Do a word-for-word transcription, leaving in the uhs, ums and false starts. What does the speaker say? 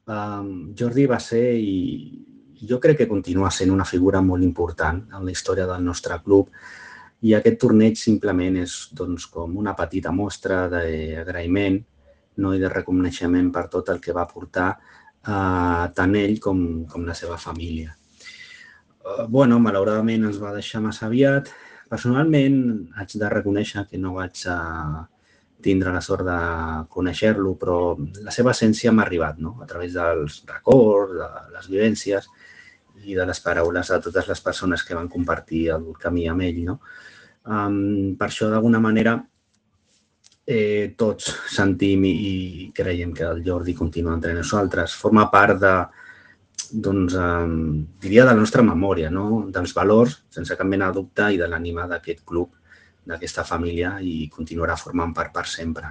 Jordi va ser, i jo crec que continua sent, una figura molt important en la història del nostre club, i aquest torneig simplement és com una petita mostra d'agraïment i de reconeixement per tot el que va portar tant ell com la seva família. Bueno, malauradament ens va deixar massa aviat. Personalment, haig de reconèixer que no vaig tindre la sort de conèixer-lo, però la seva essència m'ha arribat a través dels records, de les vivències i de les paraules de totes les persones que van compartir el camí amb ell. Per això, d'alguna manera, tots sentim i creiem que el Jordi continua entre nosaltres. Forma part de, doncs, diria, de la nostra memòria, dels valors, sense cap mena de dubte, i de l'ànima d'aquest club, d'aquesta família, i continuarà formant part per sempre.